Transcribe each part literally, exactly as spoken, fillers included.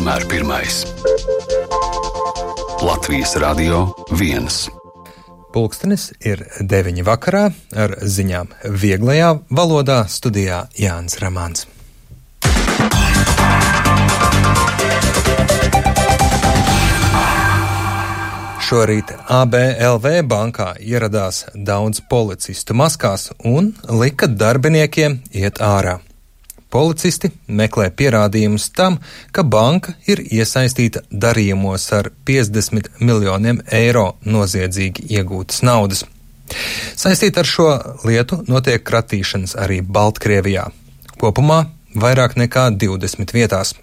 vienmēr pirmais. Latvijas Radio viens. Pulkstenis ir deviņi vakarā, ar ziņām vieglajā valodā, studijā Jānis Ramāns. Šorīt A B L V bankā ieradās daudz policistu maskās un lika darbiniekiem iet ārā. Policisti meklē pierādījumus tam, ka banka ir iesaistīta darījumos ar piecdesmit miljoniem eiro noziedzīgi iegūtas naudas. Saistīt ar šo lietu notiek kratīšanas arī Baltkrievijā. Kopumā vairāk nekā divdesmit vietās.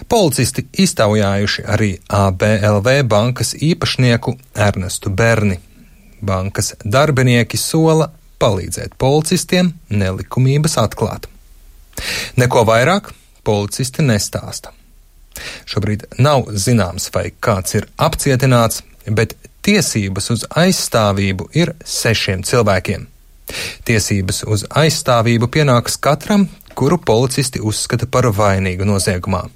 Policisti iztaujājuši arī A B L V bankas īpašnieku Ernestu Berni. Bankas darbinieki sola palīdzēt policistiem nelikumības atklāt. Neko vairāk policisti nestāsta. Šobrīd nav zināms, vai kāds ir apcietināts, bet tiesības uz aizstāvību ir sešiem cilvēkiem. Tiesības uz aizstāvību pienākas katram, kuru policisti uzskata par vainīgu noziegumā.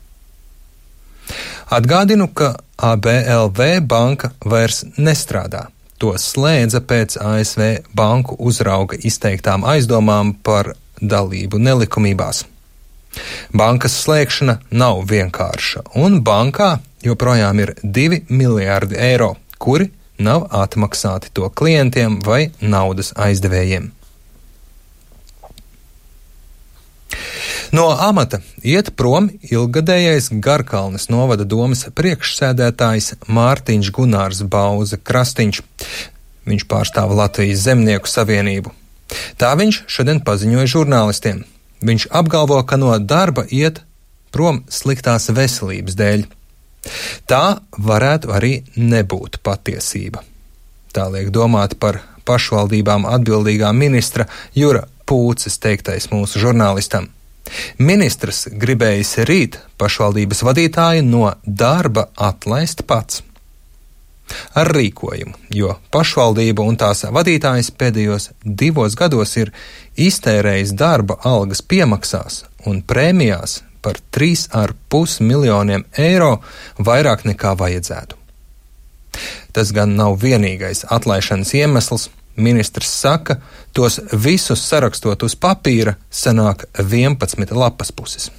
Atgādinu, ka A B L V banka vairs nestrādā. To slēdza pēc A S V banku uzrauga izteiktām aizdomām par dalību nelikumībās. Bankas slēgšana nav vienkārša, un bankā joprojām ir divi miljārdi eiro, kuri nav atmaksāti to klientiem vai naudas aizdevējiem. No amata iet prom ilggadējais Garkalnes novada domes priekšsēdētājs Mārtiņš Gunārs Bauza Krastiņš. Viņš pārstāv Latvijas Zemnieku savienību. Tā viņš šodien paziņoja žurnālistiem. Viņš apgalvo, ka no darba iet prom sliktās veselības dēļ. Tā varētu arī nebūt patiesība. Tā liek domāt par pašvaldībām atbildīgā ministra Jura Pūces teiktais mūsu žurnālistam. Ministrs gribējis rīt pašvaldības vadītāju no darba atlaist pats. Ar rīkojumu, jo pašvaldība un tās vadītājs pēdējos divos gados ir iztērējis darba algas piemaksās un prēmijās par trīs ar pus miljoniem eiro vairāk nekā vajadzētu. Tas gan nav vienīgais atlaišanas iemesls. Ministrs saka, tos visus sarakstot uz papīra sanāk vienpadsmit lapas puses.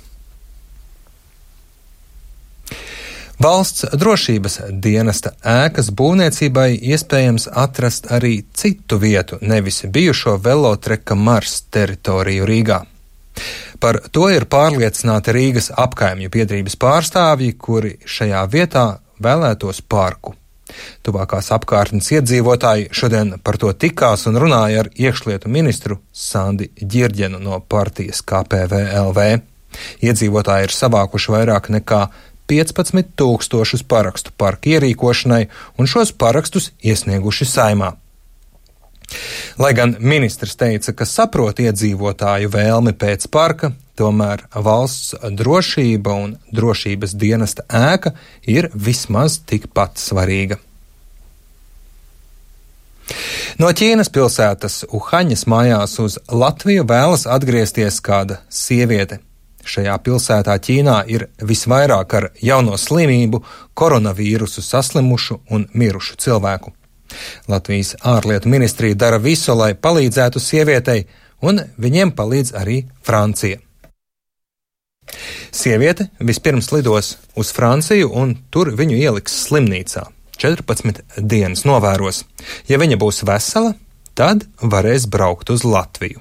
Valsts drošības dienesta ēkas būvniecībai iespējams atrast arī citu vietu, nevis bijušo velotreka Mars teritoriju Rīgā. Par to ir pārliecināti Rīgas apkaimju biedrības pārstāvji, kuri šajā vietā vēlētos parku. Tuvākās apkārtnes iedzīvotāji šodien par to tikās un runāja ar iekšlietu ministru Sandi Ģirģenu no partijas K P V L V. Iedzīvotāji ir savākuši vairāk nekā piecpadsmit tūkstošus parakstu parka ierīkošanai un šos parakstus iesnieguši Saeimā. Lai gan ministrs teica, ka saprot iedzīvotāju vēlmi pēc parka, tomēr valsts drošība un drošības dienesta ēka ir vismaz tikpat svarīga. No Ķīnas pilsētas Uhaņas mājās uz Latviju vēlas atgriezties kāda sieviete. Šajā pilsētā Ķīnā ir visvairāk ar jauno slimību, koronavīrusu saslimušu un mirušu cilvēku. Latvijas ārlietu ministrija dara visu, lai palīdzētu sievietei, un viņiem palīdz arī Francija. Sieviete vispirms lidos uz Franciju, un tur viņu ieliks slimnīcā. četrpadsmit dienas novēros. Ja viņa būs vesela, tad varēs braukt uz Latviju.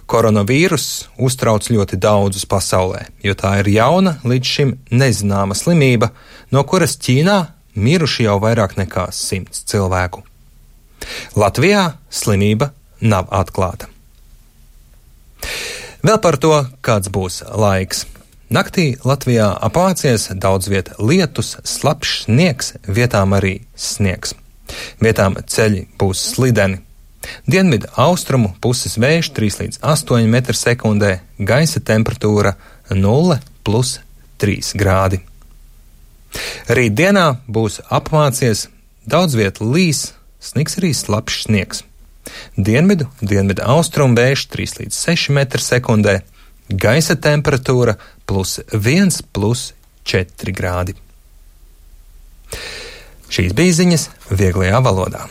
Koronavīrus uztrauc ļoti daudzus pasaulē, jo tā ir jauna, līdz šim nezināma slimība, no kuras Ķīnā miruši jau vairāk nekā simts cilvēku. Latvijā slimība nav atklāta. Vēl par to, kāds būs laiks. Naktī Latvijā apācies daudz viet lietus, slapjš sniegs, vietām arī sniegs. Vietām ceļi būs slideni. Dienvidu austrumu puses vējš trīs līdz astoņi metri sekundē, gaisa temperatūra nulle plus trīs grādi. Rītdienā būs apmācies, daudz viet līs, sniks arī slapjš sniegs. Dienvidu, dienvidu austrumu vējš trīs līdz seši metri sekundē, gaisa temperatūra plus viens, plus četri grādi. Šīs bija ziņas vieglajā valodā.